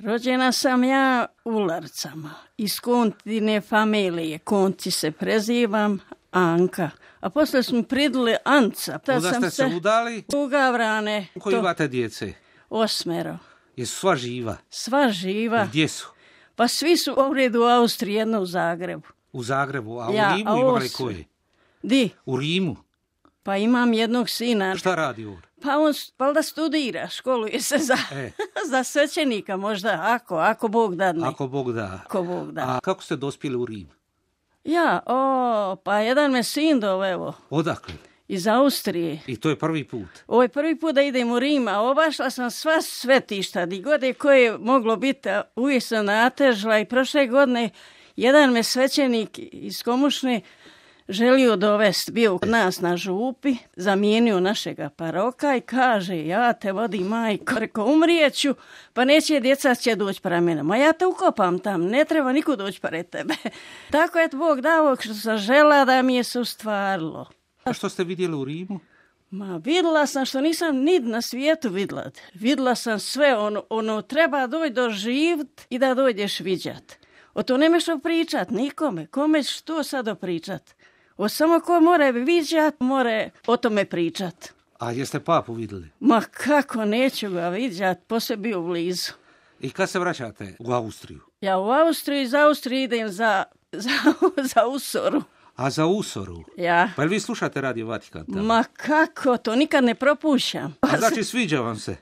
Rođena sam ja u Larcama, iz Kontine familije. Konti se prezivam, Anka. A posle smo pridali Anca. Onda ste se udali? U Gavrane. Koji imate djece? 8. Jesu sva živa? Sva živa. Gdje su? Pa svi su ovdje u Austriji, jedno u Zagrebu. U Zagrebu, a u Rimu imali koje? Di? U Rimu? Pa imam jednog sina. Šta radi ovdje? Pa on valjda studira, školuje se za svećenika možda, ako Bog dadne. Ako Bog da. Ako Bog da. A kako ste dospjeli u Rim? Pa jedan me sin doveo. Odakle? Iz Austrije. I to je prvi put? Ovo je prvi put da idem u Rim, a obašla sam sva svetišta, di god je koje je moglo biti, uvijek sam natežila i prošle godine jedan me svećenik iz Komušne želio dovesti, bio kod nas na župi, zamijenio našega paroka i kaže, ja te vodim majko, reko umrijeću, pa neće djeca će doći para mene. Ma ja te ukopam tam, ne treba niko doći pred tebe. Tako je Bog dao što sam žela da mi je se ustvarilo. A što ste vidjeli u Rimu? Ma vidjela sam što nisam nid na svijetu vidjela. Vidjela sam sve, ono treba doći doživt i da dojdeš viđat. O to nemaš pričat nikome, kome što sad opričat. Samo ko more viđat, more o tome pričat. A jeste papu vidjeli? Ma kako neću ga viđat, poslije bio blizu. I kad se vraćate u Austriju? Ja u Austriju, iz Austrije idem za Usoru. A za Usoru? Ja. Pa vi slušate Radio Vatikan tamo? Ma kako, to nikad ne propušćam. A znači sviđa vam se?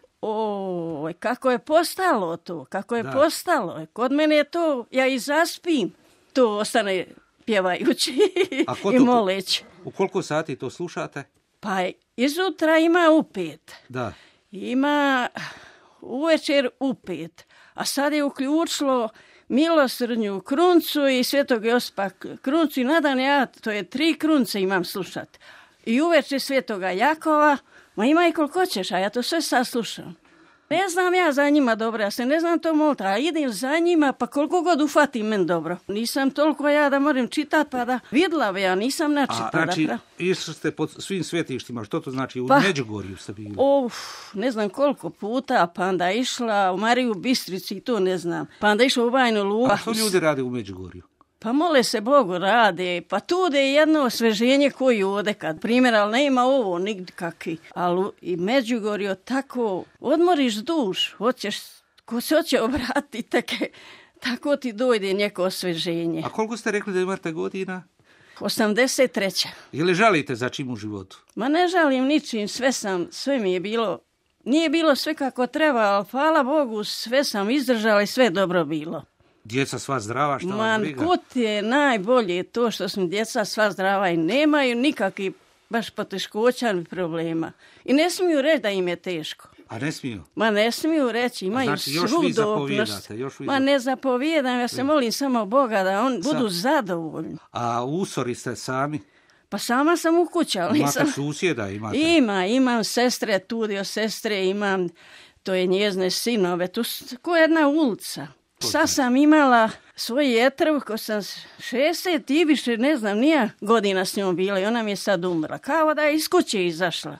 Kako je postalo to, postalo. Kod mene je to, ja i zaspim, to ostane pjevajući i moleći. U koliko sati to slušate? Pa izutra ima u 5. Da. Ima uvečer u 5. A sad je uključilo Milosrdnju kruncu i Svetog Josipa kruncu i nadan to je 3 krunce imam slušati. I uvečer Svetoga Jakova, ma ima i koliko ćeš, a ja to sve saslušam. Ne znam ja za njima dobro, ja se ne znam to moliti, a idem za njima, pa koliko god ufatim men dobro. Nisam toliko ja da moram čitati, pa da vidla, ja nisam načitala. Znači, išli ste pod svim svetištima, što to znači? U Međugorju ste bili? Ne znam koliko puta, pa onda išla u Mariju Bistrici, i to ne znam. Pa onda išla u Bajnu Luku. A što ljudi rade u Međugorju? Pa mole se Bogu rade, pa tu je jedno osveženje koji ode kad primjer, ali nema ovo nigdje kakvi. Ali i Međugorju tako odmoriš duš, ko se hoće obratiti, tako ti dojde neko osveženje. A koliko ste rekli da imate godina? 83. Je li žalite za čim u životu? Ma ne žalim ničim, sve mi je bilo, nije bilo sve kako treba, ali hvala Bogu sve sam izdržala i sve dobro bilo. Djeca sva zdrava, šta vas briga? Kut je najbolje to što smo djeca sva zdrava i nemaju nikakvih baš poteškoća ni problema. I ne smiju reći da im je teško. A ne smiju? Ma ne smiju reći, imaju svu dobnost. Ma ne zapovijedam, ja se molim samo Boga da on budu zadovoljni. A u Usori ste sami? Pa sama sam u kući, ali imate susjeda, imate? Imam sestre, tudio sestre, imam, to je njezne sinove, tu ko jedna ulica. Sad sam imala svoj jetrv, ko sam 60 i više, ne znam, nije godina s njom bila i ona mi je sad umrla. Kao da je iz kuće izašla.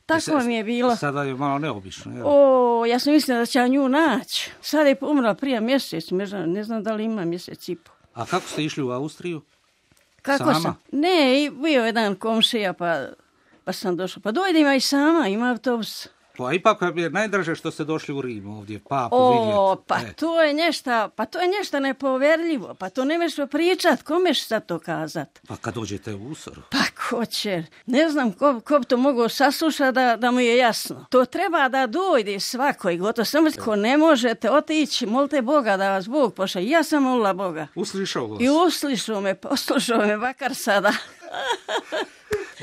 Tako mi je bilo. Sada je malo neobično. Ja sam mislila da će nju naći. Sad je umrla prije mjesec, ne znam da li ima mjesec i po. A kako ste išli u Austriju? Kako sama? Ne, bio jedan komšija pa sam došla. Pa dojdem i sama, ima autobus. Pa ipak je najdraže što ste došli u Rim ovdje, papu vidjeti. Pa to je nešto nepoverljivo, pa to nemaš pričat, komeš sad to kazat? Pa kad dođete u Usoru? Pa ko će, ne znam ko bi to mogao saslušati da mu je jasno. To treba da dojde svako i gotovo, samo ko ne možete otići, molite Boga da vas Bog pošalje. Ja sam molila Boga. Uslišao vas? I poslušao me, bakar sada.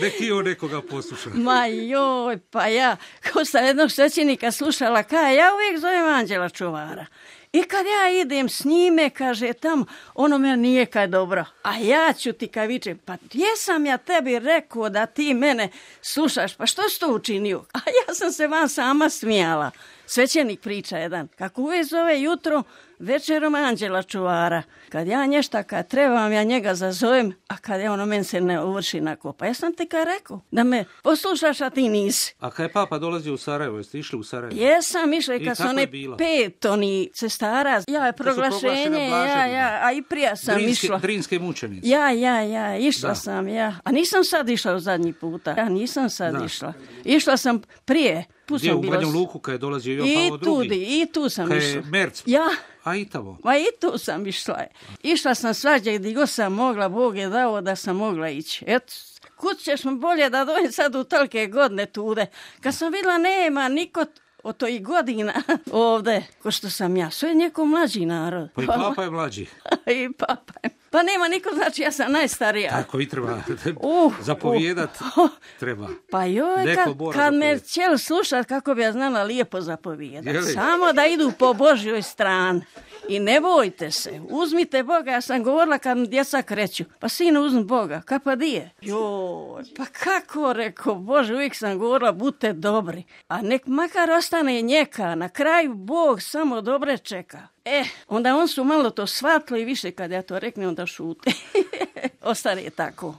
Neki on nekoga posluša. Ma joj, pa ja, ko sam jednog svećenika slušala, ja uvijek zovem Anđela čuvara. I kad ja idem s njime, kaže tamo, ono me nije kaj dobro. A ja ću ti kaj vičem, pa jesam ja tebi rekao da ti mene slušaš, pa što si to učinio? A ja sam se vam sama smijala. svećenik priča jedan, kako uvijek zove jutro, večerom anđela čuvara. Kad ja nješta kad trebam, ja njega zazovem, a kad je ono men se ne uvrši na kopa. Ja sam ti kaj rekao, da me poslušaš, a ti nisi. A kad je papa dolazio u Sarajevo, jeste išli u Sarajevo? Jesam išla i kad su one 5 oni cestara, ja je proglašenje, a i prija sam išla. Drinske mučenice. Išla sam. A nisam sad išla u zadnji puta. Ja nisam sad išla. Išla sam prije. Gdje u Banja Luku kad je dolazio Jovan Pavao II? I tu sam išla. Merc. Ja. A i tamo? Ma i tu sam išla. Išla sam svađe gdje god sam mogla, Bog je dao da sam mogla ići. Eto, kud ćeš mi bolje da dojem sad u tolike godine tude. Kad sam vidjela nema niko od toj godina ovde, ko što sam ja. Sve je neko mlađi narod. Pa i papa je mlađi. I papa je. Pa nema niko, znači ja sam najstarija. Tako i treba zapovijedat, treba. Pa joj, kad me cijel slušat, kako bi ja znala lijepo zapovijedat. Samo da idu po Božjoj strani. I ne bojte se, uzmite Boga, ja sam govorila kad mi djeca kreću, pa sine uzmi Boga, pa di je? Joj, pa kako, rekao, Bože, uvijek sam govorila, budite dobri, a nek makar ostane njeka, na kraju Bog samo dobre čeka. Onda on su malo to shvatili i više kad ja to reknem, onda šute. Ostane tako.